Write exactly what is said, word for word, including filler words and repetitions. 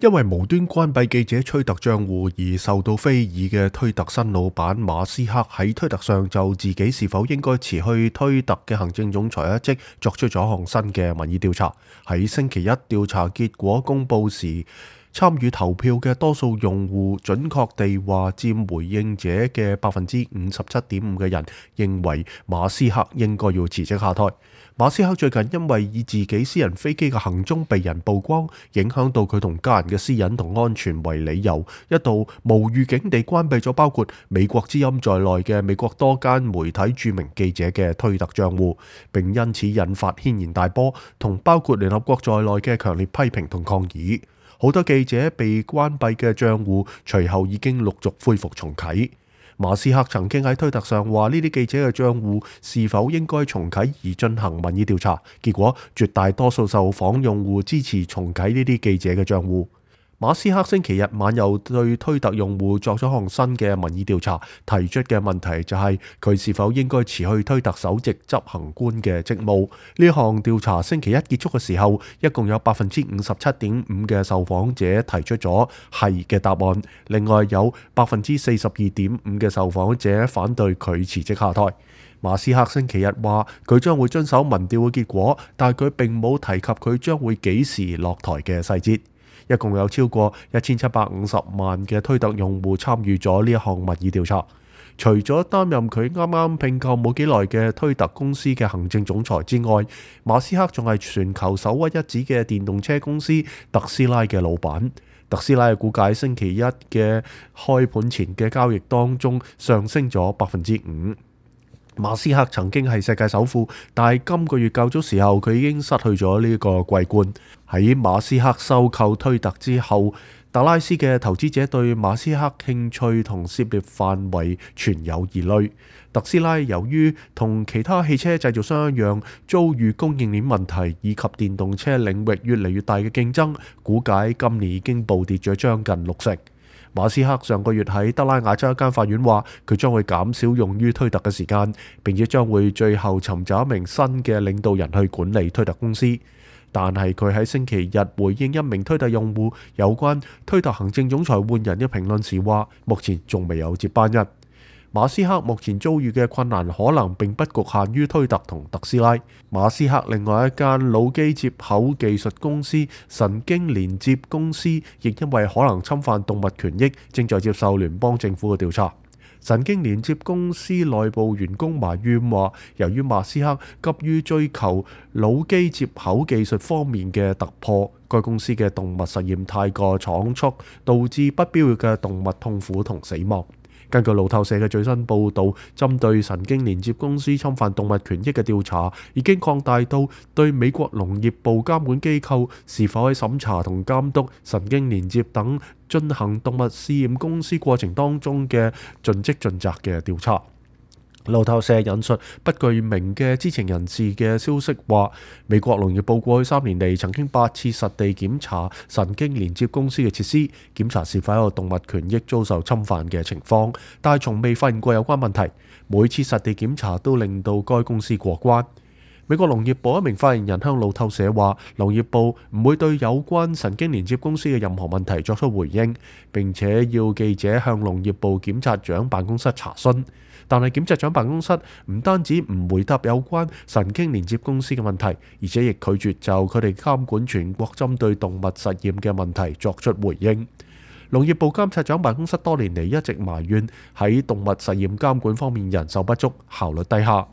因為無端關閉記者推特賬戶而受到非議嘅推特新老闆馬斯克喺推特上就自己是否應該辭去推特嘅行政總裁一職作出咗項新嘅民意調查。喺星期一調查結果公佈時，參與投票嘅多數用戶準確地話，佔回應者嘅百分之五十七點五嘅人認為馬斯克應該要辭職下台。馬斯克最近因為以自己私人飛機嘅行蹤被人曝光，影響到佢同家人嘅私隱同安全為理由，一度無預警地關閉咗包括美國之音在內嘅美國多間媒體著名記者嘅推特賬戶，並因此引發軒然大波，同包括聯合國在內嘅強烈批評同抗議。好多記者被關閉嘅賬戶隨後已經陸續恢復重啟。馬斯克曾經喺推特上話呢啲記者嘅賬戶是否應該重啟而進行民意調查，結果絕大多數受訪用戶支持重啟呢啲記者嘅賬戶。馬斯克星期日晚又對推特用戶作咗項新嘅民意調查，提出嘅問題就係佢是否應該辭去推特首席執行官嘅職務。呢項調查星期一結束嘅時候，一共有百分之五十七點五嘅受訪者提出咗係嘅答案，另外有百分之四十二點五嘅受訪者反對佢辭職下台。馬斯克星期日話佢將會遵守民調嘅結果，但係佢並冇提及佢將會幾時落台嘅細節。一共有超過一千七百五十萬嘅推特用戶參與咗呢一項民意調查。除咗擔任佢啱啱併購冇幾耐嘅推特公司嘅行政總裁之外，馬斯克仲係全球首屈一指嘅電動車公司特斯拉嘅老闆。特斯拉嘅股價星期一嘅開盤前嘅交易當中上升咗百分之五。馬斯克曾經係世界首富，但係今個月較早時候佢已經失去咗呢個桂冠。喺馬斯克收購推特之後，達拉斯嘅投資者對馬斯克興趣同涉獵範圍存有疑慮。特斯拉由於同其他汽車製造商一樣遭遇供應鏈問題以及電動車領域越嚟越大嘅競爭，估計今年已經暴跌咗將近六成。馬斯克上個月喺德拉瓦州一間法院話，佢將會減少用於推特嘅時間，並且將會最後尋找一名新嘅領導人去管理推特公司。但係佢喺星期日回應一名推特用戶有關推特行政總裁換人嘅評論時話，目前仲未有接班人。馬斯克目前遭遇嘅困難可能並不局限於推特同特斯拉。馬斯克另外一間腦機接口技術公司神經連接公司，亦因為可能侵犯動物權益，正在接受聯邦政府嘅調查。神經連接公司內部員工埋怨話，由於馬斯克急於追求腦機接口技術方面嘅突破，該公司嘅動物實驗太過倉促，導致不必要嘅動物痛苦同死亡。根據路透社嘅最新報導，針對神經連接公司侵犯動物權益嘅調查已經擴大到對美國農業部監管機構是否喺審查同監督神經連接等進行動物試驗公司過程當中嘅盡職盡責嘅調查。路透社引述不具名嘅知情人士嘅消息話，美國農業部過去三年嚟曾經八次實地檢查神經連接公司嘅設施，檢查是否有動物權益遭受侵犯嘅情況，但係從未發現過有關問題。每次實地檢查都令到該公司過關。美國農業部一名發言人向路透社話，農業部唔會對有關神經連接公司嘅任何問題作出回應，並且要記者向農業部檢察長辦公室查詢。但係檢察長辦公室唔單止唔回答有關神經連接公司嘅問題，而且亦拒絕就佢哋監管全國針對動物實驗嘅問題作出回應。農業部監察長辦公室多年嚟一直埋怨喺動物實驗監管方面人手不足、效率低下。